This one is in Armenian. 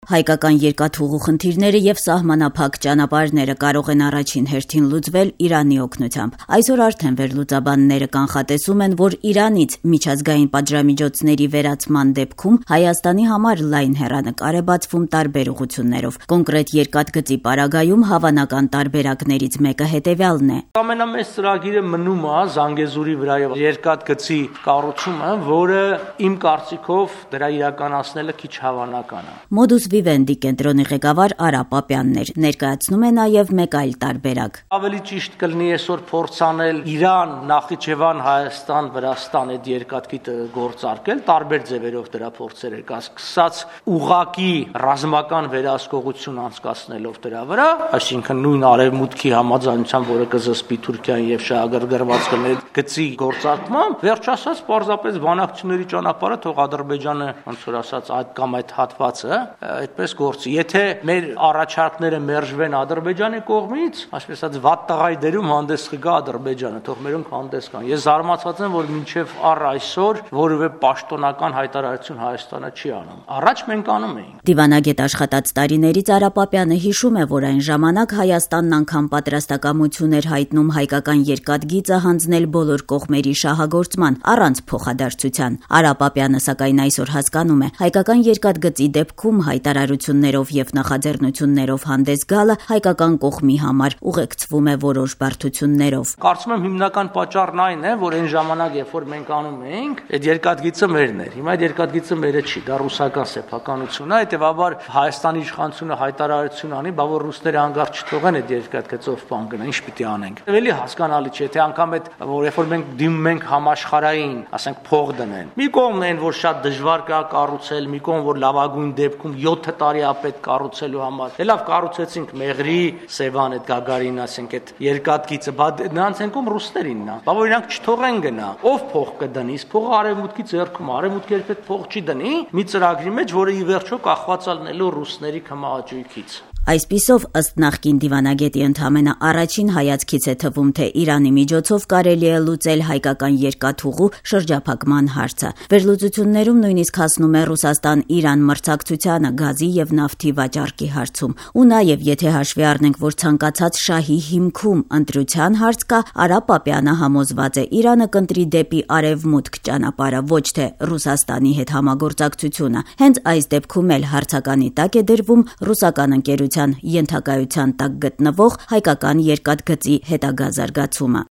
Հայկական երկաթուղու խնդիրները եւ սահմանափակ ճանապարհները կարող են առաջին հերթին լուծվել Իրանի օգնությամբ։ Այսօր արդեն վերլուծաբանները կանխատեսում են, որ Իրանից միջազգային պատժամիջոցների վերացման դեպքում Հայաստանի համար լայն հեռանկար է բացվում տարբեր ուղղություններով։ Կոնկրետ երկաթգծի պարագայում հավանական տարբերակներից մեկը հետեւյալն է։ Ամենամեծ ծրագիրը մնում է Զանգեզուրի վրայով երկաթգծի կառուցումը, որը իմ կարծիքով դրա իրականացնելը քիչ հավանական է։ Modus Vivendi կենտրոնի ղեկավար Արա Պապյանն էր, ներկայացնում է նաև մեկ այլ տարբերակ։ Ավելի ճիշտ կլինի այսօր փորձանել Իրան, Նախիջևան, Հայաստան, Վրաստան այդ երկաթգիծը գործարկել, տարբեր ձևերով դրա փորձեր կա, սկսած ուղղակի ռազմական վերահսկողություն անցկացնելով դրա վրա, այսինքն նույն արևմուտքի համաձայնությամբ, որը կզսպի Թուրքիան եւ շահագրգռված կլինի գծի գործարկմամբ, վերջ ասած պարզապես բանակցությունների ճանապարհը թող Ադրբեջանը, ոնց որ ասած, այդ կամ այդ հատվածը այդպես գործի։ Եթե մեր առաջարկները մերժվեն Ադրբեջանի կողմից, այսպես ասած, վատ տղայի դերում հանդես կգա Ադրբեջանը, թող մերոնք հանդես գան։ Ես զարմացած եմ, որ մինչև առ այսօր որևէ պաշտոնական հայտարարություն Հայաստանը չի անում։ Առաջ մենք անում էինք։ Դիվանագետ աշխատած տարիներից Արա Պապյանը հիշում է, որ այն ժամանակ Հայաստանն անգամ պատրաստակամություն էր հայտնում հայկական երկաթգիծը հանձնել բոլոր կողմերի շահագործման առանց փոխադարձության։ Արա Պապյանը սակայն այսօր հասկանում է, հայկական երկաթգծի դեպքում հայտարարություններով եւ նախաձեռնություններով հանդես գալը հայկական կողմի համար ուղեկցվում է որոշ բարդություններով։ Կարծում եմ հիմնական պատճառն այն է, որ այն ժամանակ, երբ որ մենք անում էինք, այդ երկաթգիծը մերն էր։ Հիմա այդ երկաթգիծը մերը չի, դա ռուսական սեփականություն է, հետեւաբար Հայաստանի իշխանությունը հայտարարություն անի, բա որ ռուսները հանգարց չթողեն այդ երկաթգծով բան գնան, ինչ պիտի անենք։ Ավելի հասկանալի չէ, թե անգամ այդ որ երբ որ մենք դիմում ենք համաշխարհային, ասենք փող դնեն։ Մի կողմն են, որ շատ դժվար կա կառուցել, մի կողմ որ լավագույն դեպքում 7 տարի ապետ կառուցելու համար։ Լավ կառուցեցինք Մեղրի, Սևան այդ Գագարին, ասենք այդ երկաթգիծը, բայց նրանց ենքում ռուսներինն է։ Բա որ իրանք չթողեն գնա։ Ով փող կդնի, փողը արևմուտքի ձեռքում, արևմուտքը երբեք փող չի դնի մի ծրագրի մեջ, որը ի վերջո կախված ալնելու ռուսների քմահաճույքից։ Այսպիսով, ըստ նախկին դիվանագետի ընդամենը առաջին հայացքից է թվում, թե Իրանի միջոցով կարելի է լուծել հայկական երկաթուղու շրջափակման հարցը։ Վերլուծություններում նույնիսկ հասնում է Ռուսաստան-Իրան մրցակցությանը գազի եւ նավթի վաճառքի հարցում։ Ու նաեւ եթե հաշվի առնենք, որ ցանկացած շահի հիմքում ընտրության հարց կա, Արա Պապյանը համոզված է, Իրանը կընտրի դեպի արևմուտք ճանապարհը, ոչ թե Ռուսաստանի հետ համագործակցությունը։ Հենց այս դեպքում էլ հարցականի տակ է դրվում ռուսական ընկերության ենթակայության տակ գտնվող հայկական երկաթգծի հետագա զարգացումը։